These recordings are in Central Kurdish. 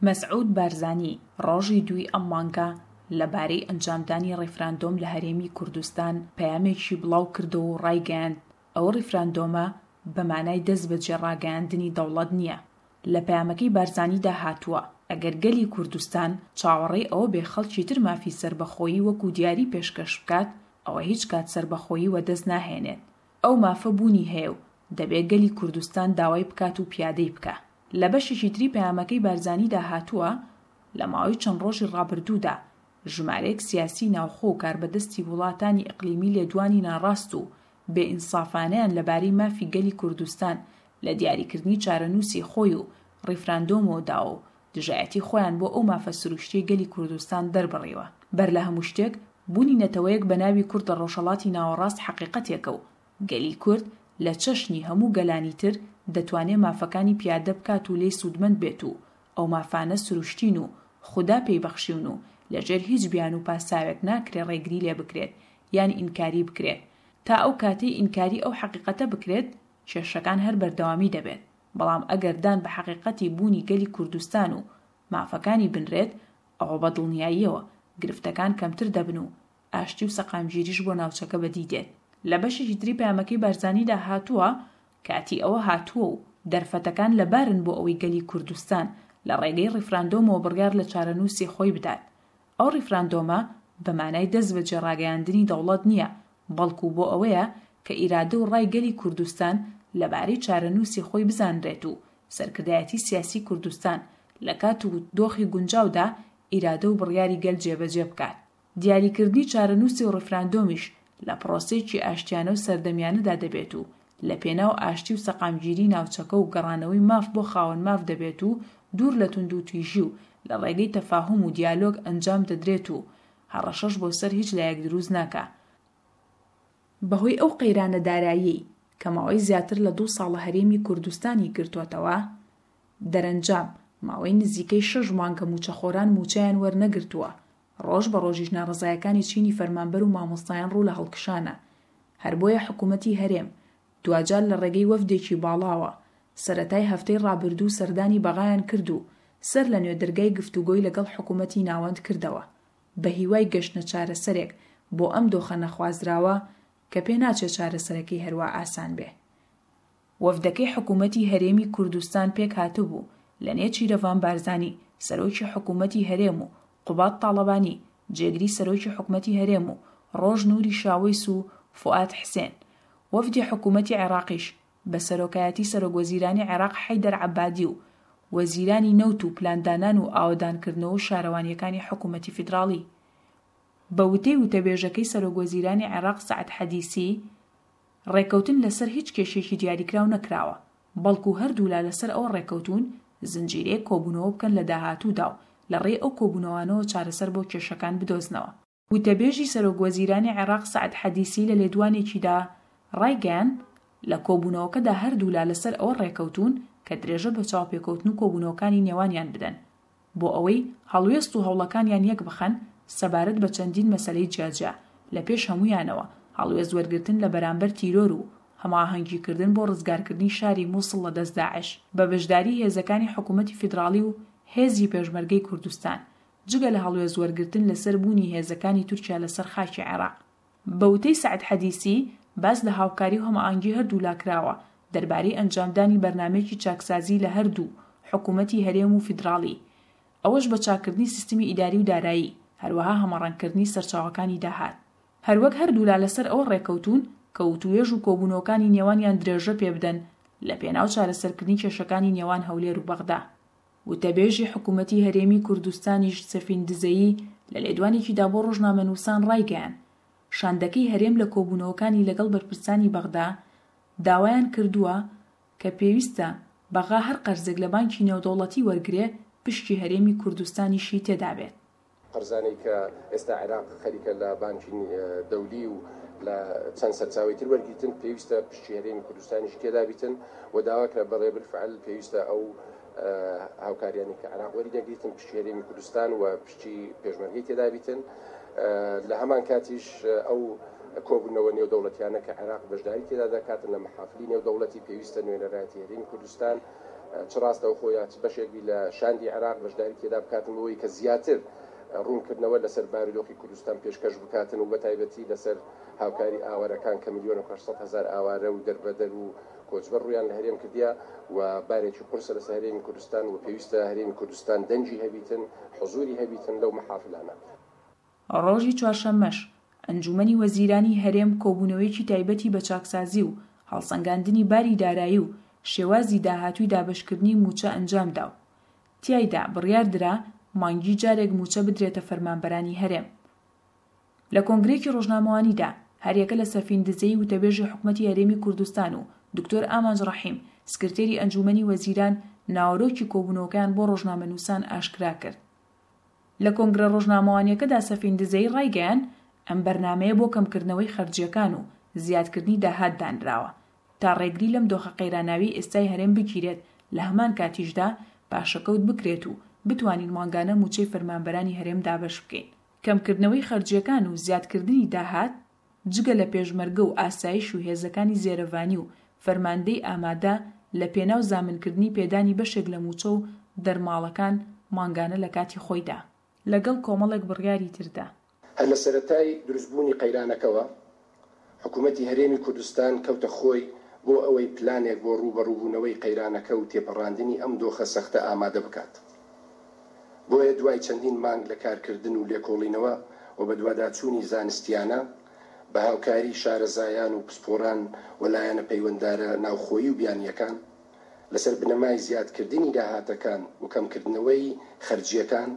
مەسعود بارزانی ڕۆژی دووی ئەم مانگە لە بارەی ئەنجامدانی ڕیفراندۆم لە هەرێمی کوردستان پەیامێکی بڵاو کردەوە و ڕایگەیاند، ئەو ڕیفراندۆمە بە مانای دەست بەجێ ڕاگەیاندنی دەوڵەت نییە. لە پەیامەکەی بارزانیدا هاتووە، ئەگەر گەلی کوردستان چاوەڕێی ئەوە بێ خەڵکی تر مافی سەربەخۆیی وەکوو دیاری پێشکەش بکات، ئەوە هیچ کات سەربەخۆیی وەدەست ناهێنێت. ئەو مافە بوونی هەیە و دەبێ گەلی کوردستان داوای بکات و پیادەی بکا. لە بەشێکی تری پەیامەکەی بارزانیدا هاتووە، لە ماوەی چەند ڕۆژی ڕابردوودا ژمارەیەک سیاسی ناوخۆ و کاربەدەستی وڵاتانی ئیقلیمی لێدوانی ناڕاست و بێ ئینسافانەیان لەبارەی مافی گەلی کوردستان لە دیاریکردنی چارەنووسی خۆی و ڕیفراندۆمەوە داوە و دژایەتی خۆیان بۆ ئەو مافە سروشتیەی گەلی کوردستان دەربڕیوە. بەر لە هەموو شتێک بوونی نەتەوەیەک بە ناوی کورد لە ڕۆژهەڵاتی ناوەڕاست حەقیقەتێکە و گەلی کورد لە چەشنی هەموو گەلانی تر دەتوانێ مافەکانی پیادە بکات و لێی سوودمەند بێت و ئەو مافانە سروشتین و خودا پێی بەخشیون و لە ژێر هیچ بیانوو پاساوێک ناکرێ ڕێگری لێ بکرێت یان ئینکاری بکرێت. تا ئەو کاتەی ئینکاری ئەو حەقیقەتە بکرێت کێشەکان هەر بەردەوامی دەبێت. بەڵام ئەگەر دان بە حەقیقەتی بوونی گەلی کوردستان و مافەکانی بنرێت ئەوە بە دڵنیاییەوە گرفتەکان کەمتر دەبن و ئاشتی و سەقامگیریش بۆ ناوچەکە بەدی دێت. لە بەشێکی تری پەیامەکەی بارزانیدا هاتووە، کاتی ئەوە هاتووە و دەرفەتەکان لەبارن بۆ ئەوەی گەلی کوردستان لە ڕێگەی ڕیفراندۆمەوە بڕیار لە چارەنووسی خۆی بدات. ئەو ڕیفراندۆمە بە مانای دەست بەجێ ڕاگەیاندنی دەوڵەت نییە، بەڵکو بۆ ئەوەیە کە ئیرادە و ڕای گەلی کوردستان لەبارەی چارەنووسی خۆی بزانرێت و سەرکردایەتی سیاسی کوردستان لە کات و دۆخی گونجاودا ئیرادە و بڕیاری گەل جێبەجێ بکات. دیاریکردنی چارەنووسی و ڕیفراندۆمیش لە پڕۆسەیەکی ئاشتیانە و سەردەمیانەدا دەبێت و لە پێناو ئاشتی و سەقامگیری ناوچەکە و گەڕانەوەی ماف بۆ خاوەن ماف دەبێت و دوور لە توندوتیژی و لە ڕێگەی تەفاهوم و دیالۆگ ئەنجام دەدرێت و هەڕەشەش بۆ سەر هیچ لایەک دروست ناکا. بەهۆی ئەو قەیرانە داراییەی کە ماوەی زیاتر لە دوو ساڵە هەرێمی کوردستانی گرتۆتەوە، دەرەنجام ماوەی نزیکەی شەش مانگە مووچەخۆران مووچەیان وەرنەگرتووە، ڕۆژ بە ڕۆژیش ناڕەزایەکانی چینی فەرمانبەر و مامۆستایان ڕوو لە هەڵکشانە. هەر بۆیە حکوومەتی هەرێم دواجار لە ڕێگەی وەفدێکی باڵاوە سەرەتای هەفتەی ڕابردوو سەردانی بەغایان کرد و سەر لە نوێ دەرگای گفتوگۆی لەگەڵ حکوومەتی ناوەند کردەوە بە هیوای گەشتنە چارەسەرێک بۆ ئەم دۆخە نەخوازراوە کە پێ ناچێ چارەسەرەکەی هەروا ئاسان بێ. وەفدەکەی حکوومەتی هەرێمی کوردستان پێکهاتبوو لە نێچیرەڤان بارزانی، سەرۆکی حکوومەتی هەرێم و قوباد تاڵەبانی، جێگری سەرۆکی حکومەتی هەرێم و ڕۆژ نوری شاوەیس و فوئاد حسێن. وەفدی حکوومەتی عێراقیش بە سەرۆکایەتی سەرۆکوەزیرانی عێراق حەیدەر عەبادی و وەزیرانی نەوت و پلاندانان و ئاوەدانکردنەوە و شارەوانییەکانی حکوومەتی فیدراڵی. بە وتەی وتەبێژەکەی سەرۆکوەزیرانی عێراق سەعد حەدیسی، ڕێککەوتن لەسەر هیچ کێشەیەکی دیاریکراو نەکراوە، بەڵکو هەردوولا لەسەر ئەوە ڕێککەوتوون زنجیرەیەک کۆبوونەوە بکەن لە داهاتوودا و لە ڕێی ئەو کۆبوونەوانەوە چارەسەر بۆ کێشەکان بدۆزنەوە. وتەبێژی سەرۆکوەزیرانی عێراق سەعد حەدیسی لە لێدوانێکیدا ڕایگەیاند، لە کۆبوونەوەکەدا هەردوولا لەسەر ئەوە ڕێککەوتوون کە درێژە بە چاوپێکەوتن و کۆبوونەوەکانی نێوانیان بدەن بۆ ئەوەی هەڵوێست و هەوڵەکانیان یەکبخەن سەبارەت بە چەندین مەسەلەی جیاجیا، لە پێش هەموویانەوە هەڵوێست وەرگرتن لە بەرامبەر تیرۆر و هەماهەنگیکردن بۆ ڕزگارکردنی شاری موسڵ لە دەست داعش بە بەشداری هێزەکانی حکوومەتی فیدراڵی و هێزی پێشمەرگەی کوردستان، جگە لە هەڵوێست وەرگرتن لەسەر بوونی هێزەکانی تورکیا لەسەر خاکی عێراق. بە وتەی سەعد حەدیسی، باس لە هاوکاری و هەماهەنگی هەردوولا کراوە دەربارەی ئەنجامدانی بەرنامەیەکی چاکسازی لە هەردوو حکوومەتی هەرێم و فیدراڵی، ئەوەش بە چاککردنی سیستمی ئیداری و دارایی، هەروەها هەمەڕەنگکردنی سەرچاوەکانی داهات. هەروەک هەردوولا لەسەر ئەوە ڕێککەوتوون کە وتووێژ و کۆبوونەوەکانی نێوانیان درێژە پێبدەن لەپێناو چارەسەرکردنی کێشەکانی نێوان هەولێر و بەغدا. وتەبێژی حکومەتی هەرێمی کوردستانیش سەفین دزەیی لە لێدوانێکیدا بۆ ڕۆژنامەنووسان ڕایگەیاند، شاندەکەی هەرێم لە کۆبوونەوەکانی لەگەڵ بەرپرسانی بەغدا داوایان کردووە کە پێویستە بەغا هەر قەرزێک لە بانکی نێودەوڵەتی وەرگرێ پشکی هەرێمی کوردستانیشی تێدابێت. قەرزانەی کە ئێستا عێراق خەریکە لە بانکی دەولی و لە چەند سەرچاوەی تر وەرگیتن، پێویستە پشکی هەرێمی کوردستانیش تێدابیتن و داوا کرا بەڵێ بالفعل پێویستە ئەو هاوکاریانەی کە عێراق وەری دەگریتن پشکی هەرێمی کوردستان و پشکی پێشمەرگەی تێدابیتن. لە هەمان کاتیش ئەو کۆبوونەوە نێودەوڵەتیانە کە عێراق بەشداری تێدا دەکاتن لە مەحافلی نێودەوڵەتی پێویستە نوێنەرایەتی هەرێمی کوردستان. چ ڕاستەوخۆ یا چ بەشێک بی لە شاندی عێراق بەشداری تێدا بکاتن بۆ ئەوەی کە زیاتر ڕوونکردنەوە لەسەر بارودۆخی کوردستان پێشکەش بکاتن و بەتایبەتی لەسەر هاوکاری ئاوارەکان کە ملیۆن و 800 هەزار ئاوارە و دەربەدەر و کۆچبەر ڕوویان لە هەرێم کردیە و بارێکی قورسە لەسەر هەرێمی کوردستان و پێویستە هەرێمی کوردستان دەنگی هەبیتن، حزوری هەبیتن لەو مەحافلانە. ڕۆژی چوارشەممەش، ئەنجوومەنی وەزیرانی هەرێم کۆبوونەوەیەکی تایبەتی بە چاکسازی و هەڵسەنگاندنی باری دارایی و شێوازی داهاتووی دابەشکردنی مووچە ئەنجامدا و تیایدا بڕیاردرا مانگی جارێک مووچە بدرێتە فەرمانبەرانی هەرێم. لە کۆنگرەیەکی ڕۆژنامەوانیدا، هەریەکە لە سەفین دزەیی وتەبێژی حکومەتی هەرێمی کوردستان و دکتۆر ئامانج ڕەحیم، سکرتێری ئەنجوومەنی وەزیران ناوەرۆکی کۆبوونەوەکەیان بۆ ڕۆژنامەنووسان ئاشکرا کرد. لە کۆنگرە ڕۆژنامەوانییەکەدا سەفین دزەیی ڕایگەیاند، ئەم بەرنامەیە بۆ کەمکردنەوەی خەرجییەکان و زیادکردنی داهات دانراوە، تا ڕێگری لەم دۆخە قەیراناویەی ئێستای هەرێم بگیرێت، لە هەمان کاتیشدا پاشەکەوت بکرێت و بتوانین مانگانە مووچەی فەرمانبەرانی هەرێم دابەش بکەین. کەمکردنەوەی خەرجییەکان و زیادکردنی داهات، جگە لە پێشمەرگە و ئاسایش و هێزەکانی زێرەڤانی و فەرماندەی ئامادە لە پێناو زامنکردنی پێدانی بەشێک لە مووچە و دەرماڵەکان مانگانە لە کاتی خۆیدا. لەگەڵ کۆمەڵێک بڕیاری تردا. هەر لە سەرەتای دروستبوونی قەیرانەکەوە، حکوومەتی هەرێمی کوردستان کەوتە خۆی بۆ ئەوەی پلانێک بۆ ڕووبەڕووبوونەوەی قەیرانەکە و تێپەڕاندنی ئەم دۆخە سەختە ئامادە بکات. بۆیە دوای چەندین مانگ لە کارکردن و لێکۆڵینەوە و بەدواداچوونی زانستییانە، بە هاوکاری شارەزایان و پسپۆران و لایەنە پەیوەنددارە ناوخۆیی و بیانییەکان، لەسەر بنەمای زیادکردنی داهاتەکان و کەمکردنەوەی خەرجییەکان،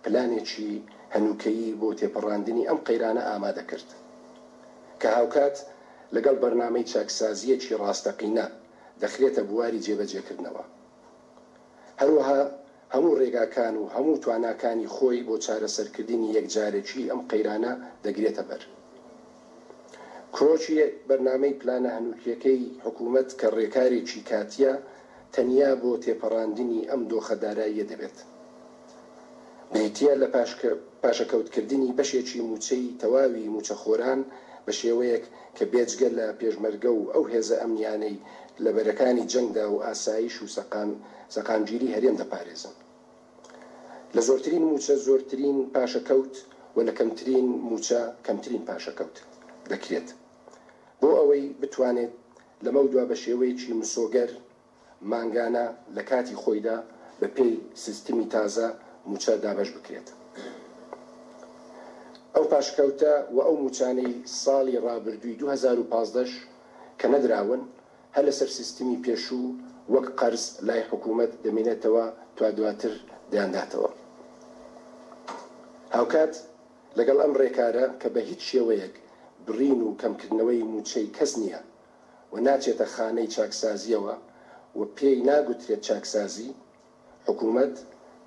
پلانێکی هەنووکەیی بۆ تێپەڕاندنی ئەم قەیرانە ئامادە کرد، کە هاوکات لەگەڵ بەرنامەی چاکسازییەکی ڕاستەقینە دەخرێتە بواری جێبەجێکردنەوە. هەروەها هەموو ڕێگاکان و هەموو تواناکانی خۆی بۆ چارەسەرکردنی یەکجارەکیی ئەم قەیرانە دەگرێتە بەر. کرۆکی بەرنامەی پلانە هەنووکییەکەی حکوومەت کە ڕێکارێکی کاتییە، تەنیا بۆ تێپەڕاندنی ئەم دۆخە داراییە دەبێت. بریتییە لە پاشەکەوتکردنی بەشێکی مووچەی تەواوی مووچەخۆران بە شێوەیەک کە بێجگە لە پێشمەرگە و ئەو هێزە ئەمنیانەی لە بەرەکانی جەنگدا و ئاسایش و سەقامگیری هەرێم دەپارێزن لە زۆرترین مووچە زۆرترین پاشەکەوت و لە کەمترین مووچە کەمترین پاشەکەوت دەکرێت بۆ ئەوەی بتوانێت لەمەودوا بە شێوەیەکی مسۆگەر مانگانە لە کاتی خۆیدا بە پێی سیستمی تازە مووچە دابەش بکرێت. ئەو پاشکەوتە و ئەو مووچانەی ساڵی ڕابردووی 2015 ش کە نەدراون هەر لەسەر سیستمی پێشوو وەک قەرز لای حکوومەت دەمێنێتەوە تا دواتر دەیانداتەوە. هاوکات لەگەڵ ئەم ڕێکارە کە بە هیچ شێوەیەک بڕین و کەمکردنەوەی مووچەی کەس نییە، و ناچێتە خانەی چاکسازییەوە و پێی ناگوترێت چاکسازی، حکومەت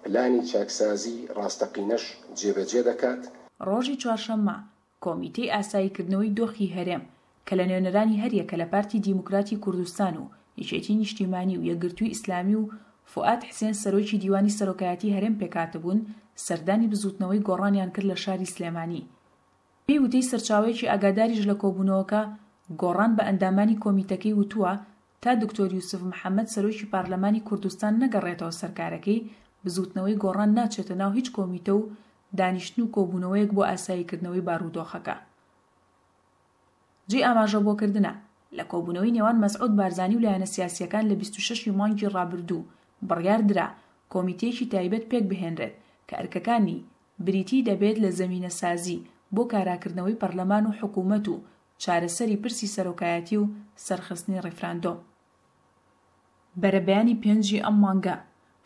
پلانی چاکسازی ڕاستەقینەش جێبەجێ دەکات. ڕۆژی چوارشەممە، کۆمیتەی ئاساییکردنەوەی دۆخی هەرێم، کە لە نوێنەرانی هەریەکە لە پارتی دیموکراتی کوردستان و یەکێتی نیشتیمانی و یەکگرتووی ئیسلامی و فوئاد حسێن سەرۆکی دیوانی سەرۆکایەتی هەرێم پێکهاتبوون، سەردانی بزووتنەوەی گۆڕانیان کرد لە شاری سلێمانی. بەپێی وتەی سەرچاوەیەکی ئاگاداریش لە کۆبوونەوەکە، گۆڕان بە ئەندامانی کۆمیتەکەی وتووە، تا دکتۆر یوسف محەمەد سەرۆکی پارلەمانی کوردستان نەگەڕێتەوە سەر کارەکەی، بزووتنەوەی گۆڕان ناچێتە ناو هیچ کۆمیتە و دانیشتن و کۆبوونەوەیەک بۆ ئاساییکردنەوەی بارودۆخەکە. جێی ئاماژەبۆکردنە، لە کۆبوونەوەی نێوان مەسعود بارزانی و لایەنە سیاسییەکان لە 26 ی مانگی ڕابردوو بڕیار درا کۆمیتەیەکی تایبەت پێکبهێنرێت کە ئەرکەکانی بریتی دەبێت لە زەمینەسازی بۆ کاراکردنەوەی پەرلەمان و حکوومەت و چارەسەری پرسی سەرۆکایەتی و سەرخستنی ڕیفراندۆم. بەرەبەیانی پێنجی ئەم مانگە،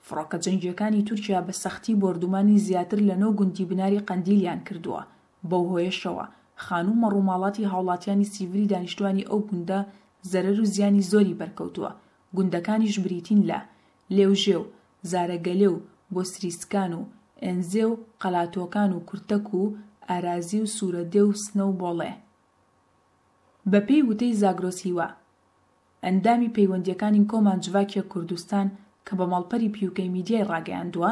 فڕۆکە جەنگییەکانی تورکیا بە سەختی بۆردومانی زیاتر لە نۆ گوندی بناری قەندیلیان کردووە، بەو هۆیەشەوە خانوو و مەڕوماڵاتی هاوڵاتیانی سیڤیلی دانیشتوانی ئەو گوندە زەرەر و زیانی زۆری بەرکەوتووە، گوندەکانیش بریتین لە، لێوژێ و زارەگەلێ و بۆسریسکان و ئێنزێ و قەلاتۆکان و کورتەک و ئارازی و سوورەدێ و سنە و بۆڵێ. بەپێی وتەی زاگرۆس هیوا، ئەندامی پەیوەندییەکانی کۆمان جڤاکێ کوردستان کە بە ماڵپەری پیوکەی میدیای ڕاگەیاندووە،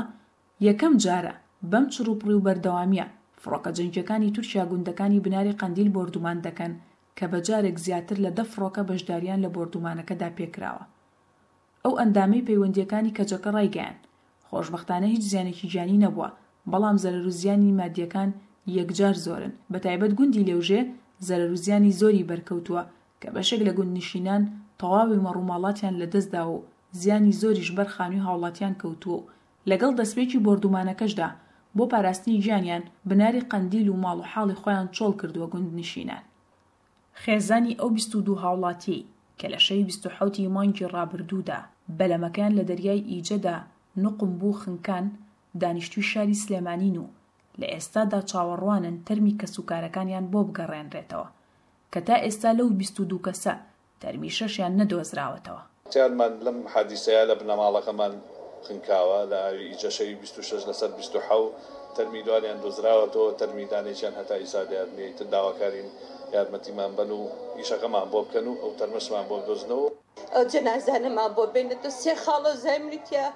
یەکەم جارە بەم چڕوپڕی و بەردەوامییە فڕۆکە جەنگییەکانی تورکیا گوندەکانی بناری قەندیل بۆردومان دەکەن کە بە جارێک زیاتر لە دە فڕۆکە بەشدارییان لە بۆردومانەکەدا پێکراوە. ئەو ئەندامەی پەیوەندییەکانی کەجەکە ڕایگەیاند، خۆشبەختانە هیچ زیانێکی گیانی نەبووە، بەڵام زەرەر و زیانی مادییەکان یەکجار زۆرن، بەتایبەت گوندی لێوژێ زەرەر و زیانی زۆری بەرکەوتووە کە بەشێک لە گوندنشینان تەواوی مەڕوماڵاتیان لەدەستداوە و زیانی زۆریش بەر خانووی هاوڵاتیان کەوتووە و لەگەڵ دەستپێکی بۆردومانەکەشدا بۆ پاراستنی گیانیان بناری قەندیل و ماڵ و حاڵی خۆیان چۆڵ کردووە گوندنشینان. خێزانی ئەو 22 هاوڵاتیەی کە لە شەوی 27 ی مانگی ڕابردوودا بەلەمەکەیان لە دەریای ئیجەدا نوقم بوو خنکان، دانیشتووی شاری سلێمانین و لە ئێستادا چاوەڕوانن تەرمی کەسوکارەکانیان بۆ بگەڕێنرێتەوە کە تا ئێستا لەو 22 کەسە تەرمی شەشیان نەدۆزراوەتەوە. تیانمان لەم حادیسەیە لە بنەماڵەکەمان خنکاوە لە ئاوی ئیجە شەوی 26 لەسەر 27 تەرمی دوانیان دۆزراوەتەوە تەرمی دانێکیان هەتا ئیسا دیار نیە ئیتر داواکارین یارمەتیمان بەن و ئیشەکەمان بۆ بکەن و ئەو تەرمەشمان بۆ بدۆزنەوە. ئەو جەنازانەمان بۆ بێنێتەوە سێ خاڵۆزای منی تیا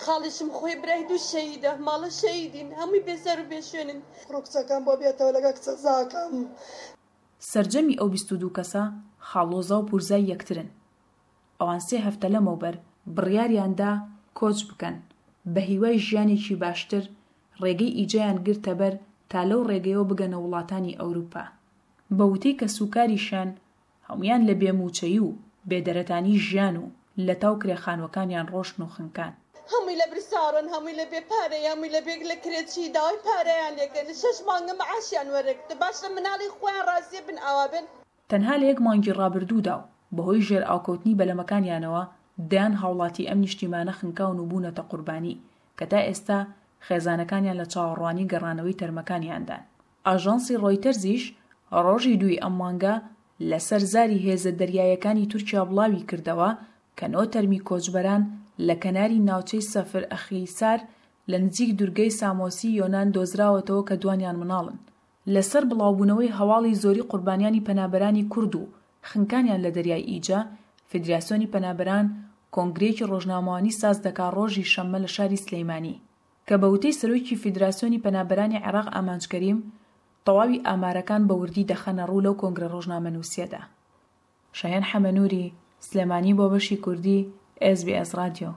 خاڵیشم خۆی برای دوو شەهیدە ماڵە شەهیدین هەمووی بێزار و بێشوێنن. کوڕ و کچەکەم بۆ بێتەوە لەگەڵ کچەزاکەم. سەرجەمی ئەو 22 کەسە خاڵۆزا و پورزای یەکترن. ئەوان سێ هەفتە لەمەوبەر بڕیاریان دا کۆچ بکەن، بە هیوای ژیانێکی باشتر ڕێگەی ئیجەیان گرتەبەر تا لەو ڕێگەیەوە بگەنە وڵاتانی ئەوروپا. بە وتەی کەسوکاریشیان هەموویان لە بێ مووچەیی و بێ دەرەتانی ژیان و لەتاو کرێ خانووەکانیان ڕۆشتن و خنکان. هەمووی لە برساڕن هەمووی لە بێ پارەی هەمووی لە بێ لە کرێچی داوای پارەیان لێکەن شەش مانگە معاشیان وەرنەگرتوە باشە مناڵی خۆیان ڕازیە بن ئاوا بن. تەنها لە یەک مانگی ڕابردوودا و بەهۆی ژێرئاوکەوتنی بەلەمەکانیانەوە دەیان هاوڵاتی ئەم نیشتیمانە خنکاون و بوونەتە قوربانی کە تا ئێستا خێزانەکانیان لە چاوەڕوانی گەڕانەوەی تەرمەکانیاندان. ئاژانسی ڕۆیتەرزیش ڕۆژی دووی ئەم مانگە لەسەر زاری هێزە دەریاییەکانی تورکیا بڵاوی کردەوە کە نۆ تەرمی کۆچبەران لە کەناری ناوچەی سەفر ئەخیسار لە نزیک دورگەی سامۆسی یۆنان دۆزراوەتەوە کە دوانیان منداڵن. لەسەر بڵاوبوونەوەی هەواڵی زۆری قوربانیانی پەنابەرانی کورد و خنکانیان لە دەریای ئیجە، فیدراسیۆنی پەنابەران کۆنگرەیەکی ڕۆژنامەوانی ساز دەکا ڕۆژی شەممە لە شاری سلیمانی. کە بە وتەی سەرۆکی فیدراسیۆنی پەنابەرانی عێراق ئامانج کەریم، تەواوی ئامارەکان بە وردی دەخەنە ڕوو لەو کۆنگرە ڕۆژنامەنووسییەدا. شایان حەمەنووری، سلێمانی بۆ بەشی کوردی ئێس بی ئێس ڕادیۆ.